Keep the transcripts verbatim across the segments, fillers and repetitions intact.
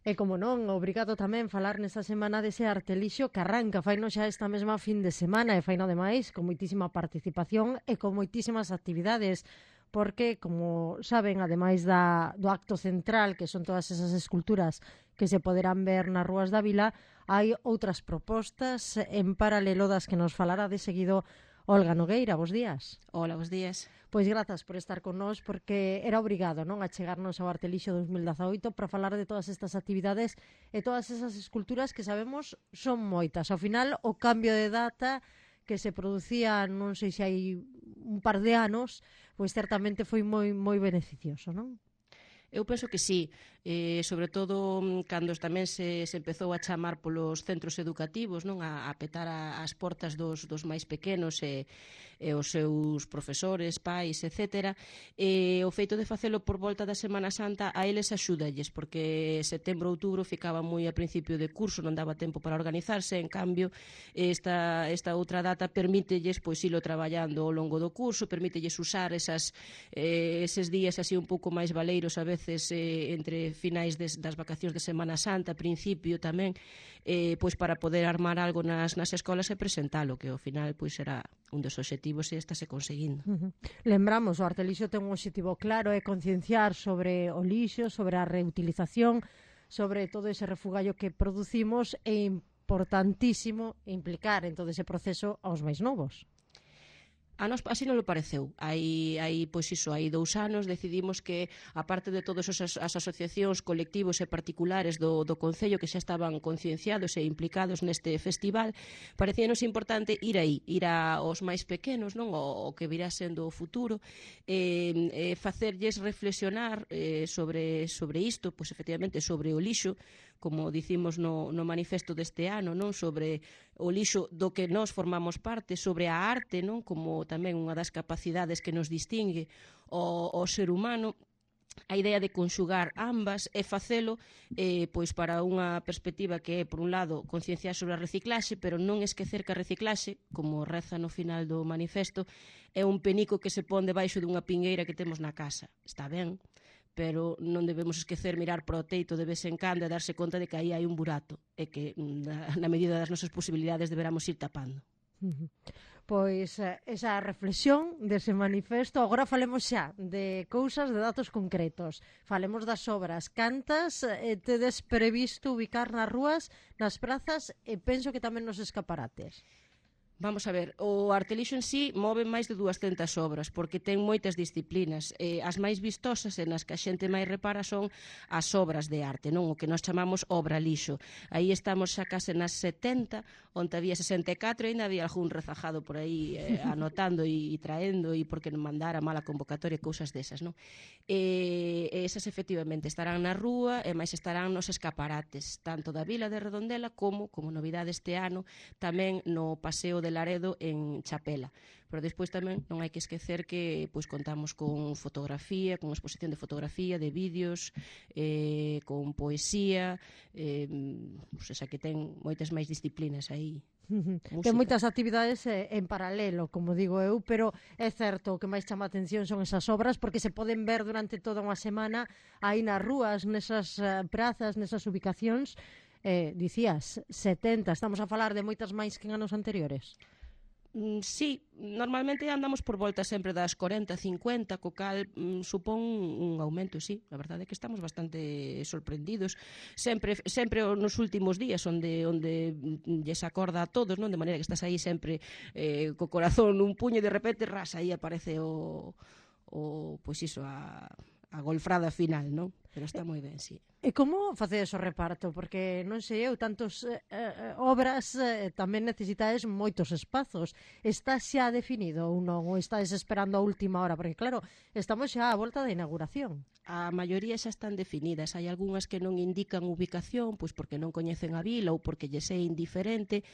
E como non, obrigado tamén falar nesta semana dese Artelixo que arranca, faino xa esta mesma fin de semana e faino ademais con moitísima participación e con moitísimas actividades, porque, como saben, ademais da, do acto central, que son todas esas esculturas que se poderán ver nas rúas da vila, hai outras propostas en paralelo das que nos falará de seguido Olga Nogueira. Bos días. Hola, bos días. Pois grazas por estar con nós, porque era obrigado, non, a chegarnos ao Artelixo dos mil dezaoito para falar de todas estas actividades e todas esas esculturas que sabemos son moitas. Ao final, o cambio de data que se producía, non sei se hai un par de anos, pois certamente foi moi moi beneficioso, non? Eu penso que sí, eh, sobre todo cando tamén se, se empezou a chamar polos centros educativos, non, a, a petar a, as portas dos, dos máis pequenos e, e os seus profesores, pais, etcétera. E o feito de facelo por volta da Semana Santa a eles axúdalles, porque setembro, outubro ficaba moi a principio de curso, non daba tempo para organizarse. En cambio, esta, esta outra data permítelles pois ilo traballando ao longo do curso, permítelles usar esas, eh, eses días así un pouco máis valeiros a veces eh, entre finais des, das vacacións de Semana Santa, principio tamén, eh, pois para poder armar algo nas, nas escolas e presentalo, que ao final pois era un dos obxectivos e estáse conseguindo. Uh -huh. Lembramos, o Artelixo ten un obxectivo claro, é concienciar sobre o lixo, sobre a reutilización, sobre todo ese refugallo que producimos, e importantísimo implicar en todo ese proceso aos máis novos. A nos así non lo pareceu. Hai, hai, pois iso, hai dous anos decidimos que, aparte de todas as, as asociacións, colectivos e particulares do, do Concello que xa estaban concienciados e implicados neste festival, parecíanos importante ir aí, ir aos máis pequenos, non, o, o que virá sendo o futuro, e, e facerlles reflexionar eh, sobre, sobre isto, pois efectivamente sobre o lixo, como dicimos no, no manifesto deste ano, non, sobre o lixo do que nós formamos parte, sobre a arte, non, como tamén unha das capacidades que nos distingue o, o ser humano, a idea de conxugar ambas e facelo eh, pois para unha perspectiva que é, por un lado, concienciar sobre a reciclaxe, pero non esquecer que a reciclaxe, como reza no final do manifesto, é un penico que se pon debaixo dunha pingueira que temos na casa. Está ben, pero non debemos esquecer mirar para o teito de vez en cando e darse conta de que aí hai un burato e que na, na medida das nosas posibilidades deberamos ir tapando. Uh -huh. Pois esa reflexión dese manifesto. Agora falemos xa de cousas, de datos concretos. Falemos das obras. Cantas eh, tedes previsto ubicar nas rúas, nas prazas e penso que tamén nos escaparates? Vamos a ver, o Artelixo en sí move máis de duascentas obras, porque ten moitas disciplinas. Eh, as máis vistosas e nas que a xente máis repara son as obras de arte, non, o que nós chamamos obra lixo. Aí estamos xa case nas setenta, onde había sesenta e catro e ainda había algún rezajado por aí eh, anotando e, e traendo, e porque non mandara mala convocatoria e cousas desas, non? E, esas efectivamente estarán na rúa e máis estarán nos escaparates, tanto da Vila de Redondela como, como novidade este ano, tamén no Paseo de Laredo en Chapela. Pero despois tamén non hai que esquecer que pois contamos con fotografía, con exposición de fotografía, de vídeos, eh, con poesía, eh, pois esa que ten moitas máis disciplinas aí. Ten moitas actividades eh, en paralelo, como digo eu, pero é certo, o que máis chama a atención son esas obras, porque se poden ver durante toda unha semana aí nas rúas, nesas uh, prazas, nesas ubicacións. Eh, dicías, setenta, estamos a falar de moitas máis que en anos anteriores? Mm, sí, normalmente andamos por volta sempre das corenta, cincuenta, co cal mm, supón un aumento, sí. A verdade é que estamos bastante sorprendidos. Sempre sempre nos últimos días onde onde lles acorda a todos, non? De maneira que estás aí sempre eh, co corazón nun puño e de repente ras, aí aparece o, o pois iso, a, a golfrada final, non? Pero está moi ben, sí. E como facedes o reparto? Porque non sei eu, tantos eh, eh, obras eh, tamén necesitades moitos espazos. Está xa definido ou non? Ou estáis esperando a última hora? Porque claro, estamos xa á volta da inauguración. A maioría xa están definidas. Hai algunhas que non indican ubicación, pois porque non coñecen a vila ou porque lles é indiferente.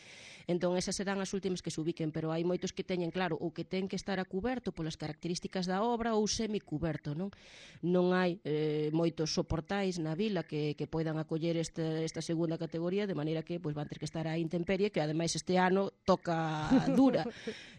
Entón esas serán as últimas que se ubiquen, pero hai moitos que teñen claro ou que ten que estar a cuberto polas características da obra ou semicuberto, non? Non hai eh, moitos soportais na vila que, que poidan acoller esta, esta segunda categoría, de maneira que pois, van ter que estar á intemperie, que ademais este ano toca dura.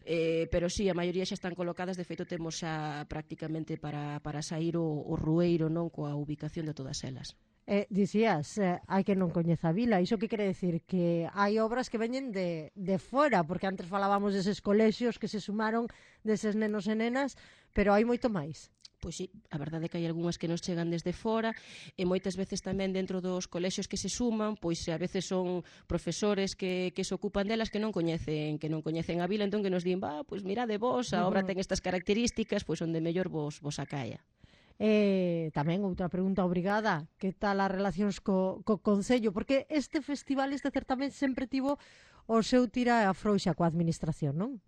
eh, pero sí, a maioría xa están colocadas. De feito temos xa prácticamente para, para sair o, o rueiro, non, coa ubicación de todas elas. Eh, dicías, eh, hai que non coñeza a vila. Iso que quere decir? Que hai obras que veñen de, de fora, porque antes falábamos deses colexios que se sumaron deses nenos e nenas, pero hai moito máis. Pois sí, a verdade é que hai algunhas que nos chegan desde fora e moitas veces tamén dentro dos colexios que se suman, pois a veces son profesores que, que se ocupan delas que non coñecen que non coñecen a vila, entón que nos din, va, pois mirade vos, a obra ten estas características, pois onde mellor vos, vos acaia. E tamén outra pregunta obrigada, que tal as relacións co, co Concello? Porque este festival, este certamen sempre tivo o seu tira e afrouxa coa administración, non?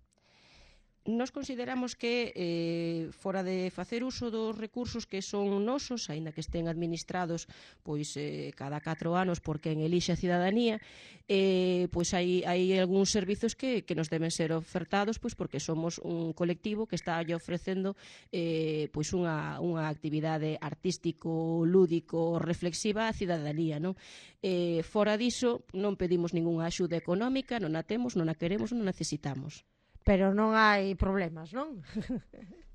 Nos consideramos que eh, fora de facer uso dos recursos que son nosos, aínda que estén administrados pois eh, cada catro anos por quen elixe a cidadanía, eh, pois hai, hai algúns servizos que, que nos deben ser ofertados pois porque somos un colectivo que está ofrecendo eh, pois unha, unha actividade artístico, lúdico, reflexiva á cidadanía, non? Eh, fora diso, non pedimos ningunha axuda económica, non a temos, non a queremos, non a necesitamos. Pero non hai problemas, non?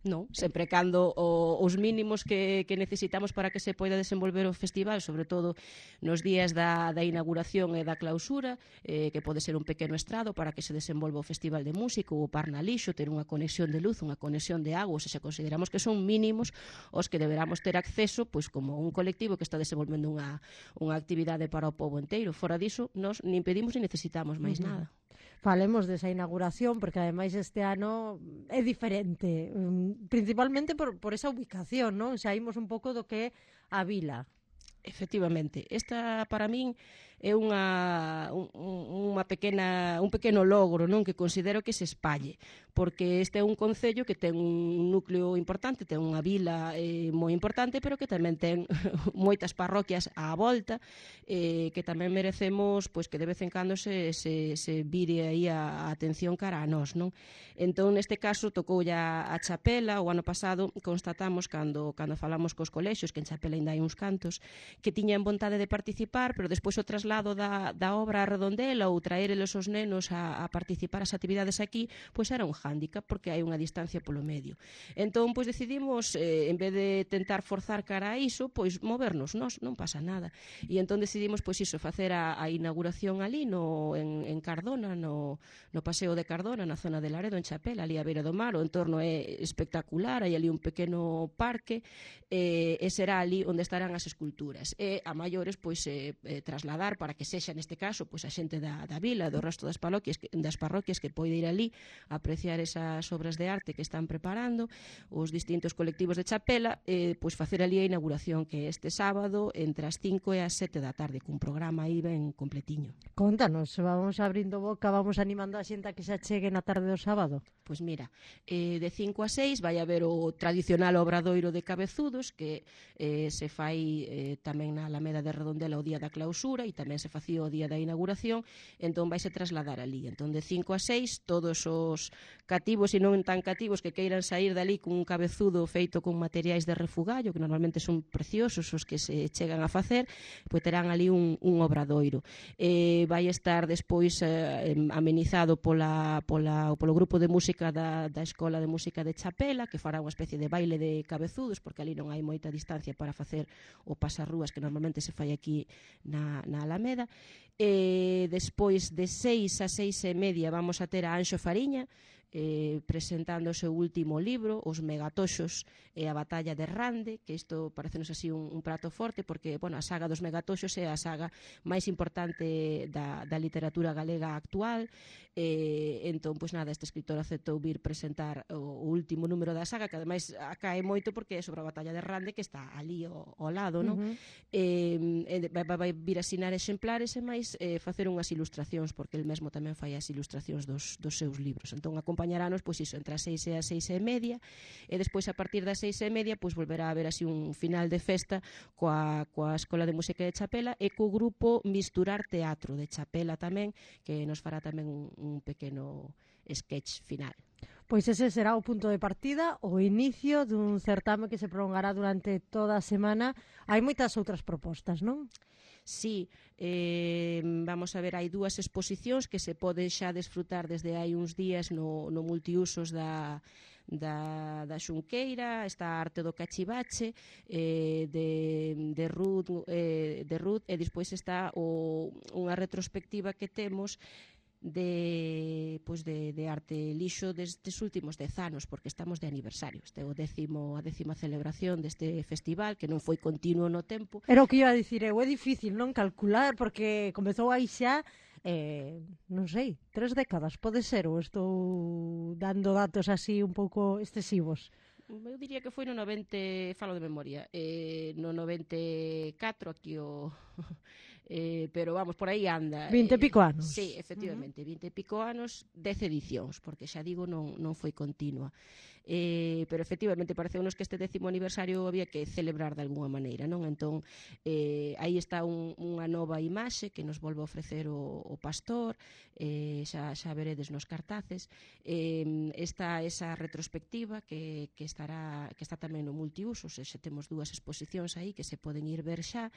Non, sempre cando o, os mínimos que, que necesitamos para que se poida desenvolver o festival, sobre todo nos días da, da inauguración e da clausura, eh, que pode ser un pequeno estrado para que se desenvolva o festival de música, o Parnalixo, ter unha conexión de luz, unha conexión de agua, ou seja, consideramos que son mínimos os que deberamos ter acceso pois como un colectivo que está desenvolvendo unha, unha actividade para o pobo inteiro. Fora diso, nós nin pedimos nin necesitamos máis Uh-huh. nada. Falemos desa inauguración, porque ademais este ano é diferente, principalmente por, por esa ubicación, non? Saímos un pouco do que é a vila. Efectivamente, esta para min é unha, un, unha pequena, un pequeno logro, non, que considero que se espalle, porque este é un concello que ten un núcleo importante, ten unha vila eh, moi importante, pero que tamén ten moitas parroquias á volta, eh, que tamén merecemos pois que de vez en cando se, se, se vire aí a, a atención cara a nós, non? Entón, neste caso, tocou ya a Chapela, o ano pasado constatamos cando, cando falamos cos colexios, que en Chapela ainda hai uns cantos, que tiñan vontade de participar, pero despois o traslado da, da obra a Redondela ou traerelos os nenos a, a participar as actividades aquí, pois era un hándicap, porque hai unha distancia polo medio. Entón, pois decidimos, eh, en vez de tentar forzar cara a iso, pois movernos nós, non pasa nada. E entón decidimos, pois iso, facer a, a inauguración ali no, en, en Cardona, no, no Paseo de Cardona, na zona de Laredo, en Chapela, ali a beira do mar, o entorno é espectacular, hai ali un pequeno parque, eh, e será ali onde estarán as esculturas. E a maiores pois eh, eh, trasladar para que sexa neste caso pois a xente da, da vila, do resto das parroquias que, das parroquias que poida ir ali a apreciar esas obras de arte que están preparando os distintos colectivos de Chapela, eh, pois facer ali a inauguración que este sábado entre as cinco e as sete da tarde cun programa aí ben completiño. Contanos, vamos abrindo boca, vamos animando a xente a que se achegue na tarde do sábado. Pois mira, eh, de cinco a seis vai haber o tradicional obradoiro de cabezudos que eh, se fai eh, tamén na Alameda de Redondela o día da clausura e tamén se facía o día da inauguración, entón vaise trasladar ali. Entón de cinco a seis todos os cativos e non tan cativos que queiran sair dali cun cabezudo feito con materiais de refugallo, que normalmente son preciosos os que se chegan a facer, pois terán ali un, un obradoiro. Eh, vai estar despois eh, amenizado pola, pola, polo grupo de música da, da Escola de Música de Chapela, que fará unha especie de baile de cabezudos, porque ali non hai moita distancia para facer o pasarrúas que normalmente se fai aquí na, na Alameda. E despois de seis a seis e media vamos a ter a Anxo Fariña, eh, presentando o seu último libro, Os Megatoxos e a Batalla de Rande, que isto parecenos así un, un prato forte, porque bueno, a saga dos Megatoxos é a saga máis importante da, da literatura galega actual. Eh, entón, pois nada, este escritor aceptou vir presentar o, o último número da saga, que ademais acae moito porque é sobre a Batalla de Rande, que está ali ao, ao lado, non? Uh-huh. Eh, vai, vai vir asinar exemplares e máis eh, facer unhas ilustracións, porque el mesmo tamén fai as ilustracións dos, dos seus libros. Entón, acompañaranos, pois iso, entre as seis e as seis e media, e despois a partir das seis e media, pois volverá a haber así un final de festa coa, coa Escola de Música de Chapela e co grupo Misturar Teatro de Chapela tamén, que nos fará tamén un, un pequeno sketch final. Pois ese será o punto de partida, o inicio dun certame que se prolongará durante toda a semana. Hai moitas outras propostas, non? Sí, eh, vamos a ver, hai dúas exposicións que se pode xa desfrutar desde hai uns días no, no multiusos da, da, da Xunqueira, está a arte do cachivache, eh, de, de, Ruth, eh, de Ruth, e despois está o, unha retrospectiva que temos de, pois de, de arte lixo destes últimos dez anos, porque estamos de aniversario. Este é o décimo, a décima celebración deste festival, que non foi continuo no tempo. Era o que iba a dicir eu, é difícil non calcular, porque comezou aí xa, eh, non sei, tres décadas, pode ser, ou estou dando datos así un pouco excesivos? Eu diría que foi no noventa, falo de memoria, eh, no noventa e catro aquí o... Eh, pero vamos, por aí anda. Vinte e pico anos. Eh, sí, efectivamente, uh -huh. vinte e pico anos, dez edicións, porque xa digo, non, non foi continua. Eh, pero efectivamente pareceunos que este décimo aniversario había que celebrar de alguna maneira, non? Entón, eh, aí está un, unha nova imaxe que nos volve a ofrecer o, o pastor, eh, xa, xa veredes nos cartaces. Eh, está esa retrospectiva que, que, estará, que está tamén no multiuso, se xa temos dúas exposicións aí que se poden ir ver xa.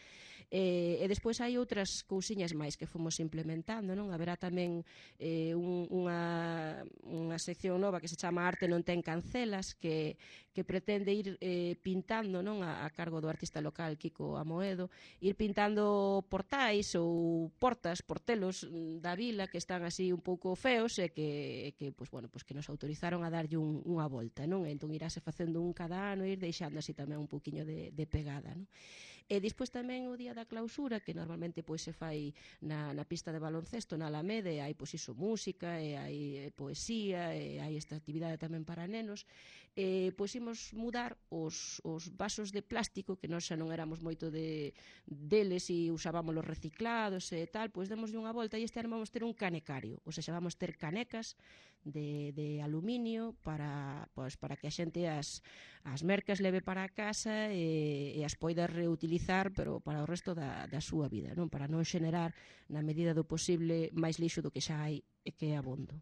Eh, e despois hai outras cousiñas máis que fomos implementando, non? Haberá tamén eh, un, unha, unha sección nova que se chama Arte non ten cancelas, que, que pretende ir eh, pintando, non? A, a cargo do artista local Kiko Amoedo, ir pintando portais ou portas, portelos da vila que están así un pouco feos e que, que, pues, bueno, pues que nos autorizaron a darlle un, unha volta, non? Entón irase facendo un cada ano e ir deixando así tamén un poquinho de, de pegada, non? E despois tamén o día da clausura, que normalmente pois se fai na, na pista de baloncesto, na Alameda, e hai pois iso música, e hai e, poesía, e hai esta actividade tamén para nenos. E pois imos mudar os, os vasos de plástico, que nós xa non éramos moito de deles e usábamos los reciclados e tal, pois demoslle unha volta e este ano vamos ter un canecario, ou seja, vamos ter canecas de, de aluminio para, pois, para que a xente as, as mercas leve para a casa e, e as poida reutilizar, pero para o resto da, da súa vida, non? Para non xenerar na medida do posible máis lixo do que xa hai e que é abondo.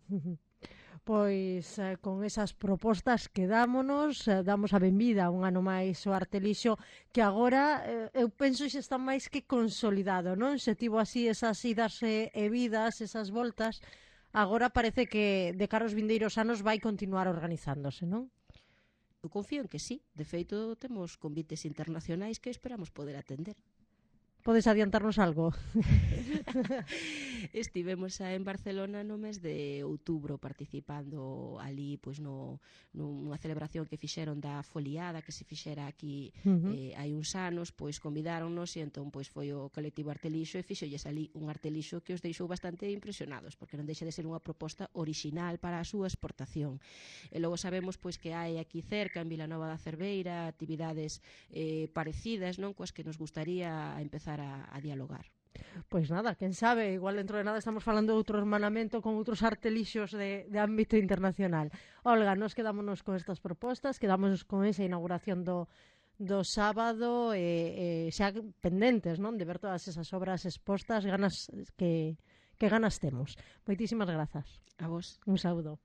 Pois eh, con esas propostas quedámonos, eh, damos a benvida un ano máis ao Arte Lixo, que agora eh, eu penso que está máis que consolidado, non? Se tivo así esas idas e, e vidas, esas voltas, agora parece que de cara aos vindeiros anos vai continuar organizándose, non? Eu confío en que sí. De feito, temos convites internacionais que esperamos poder atender. Podes adiantarnos algo? Estivemos xa en Barcelona no mes de outubro participando ali pois no nunha celebración que fixeron da foliada que se fixera aquí uh -huh. eh, hai uns anos, pois convidáronnos e entón pois foi o colectivo Artelixo e fixolles ali un Artelixo que os deixou bastante impresionados, porque non deixa de ser unha proposta orixinal para a súa exportación. E logo sabemos pois que hai aquí cerca en Vilanova da Cerveira actividades eh, parecidas, non, coas que nos gustaría empezar A, a dialogar. Pois nada, quen sabe, igual dentro de nada estamos falando de outro hermanamento con outros artelixos de, de ámbito internacional. Olga, nos quedámonos con estas propostas, quedámonos con esa inauguración do, do sábado e, e xa pendentes, non, de ver todas esas obras expostas, ganas que, que ganas temos. Moitísimas grazas. A vos. Un saúdo.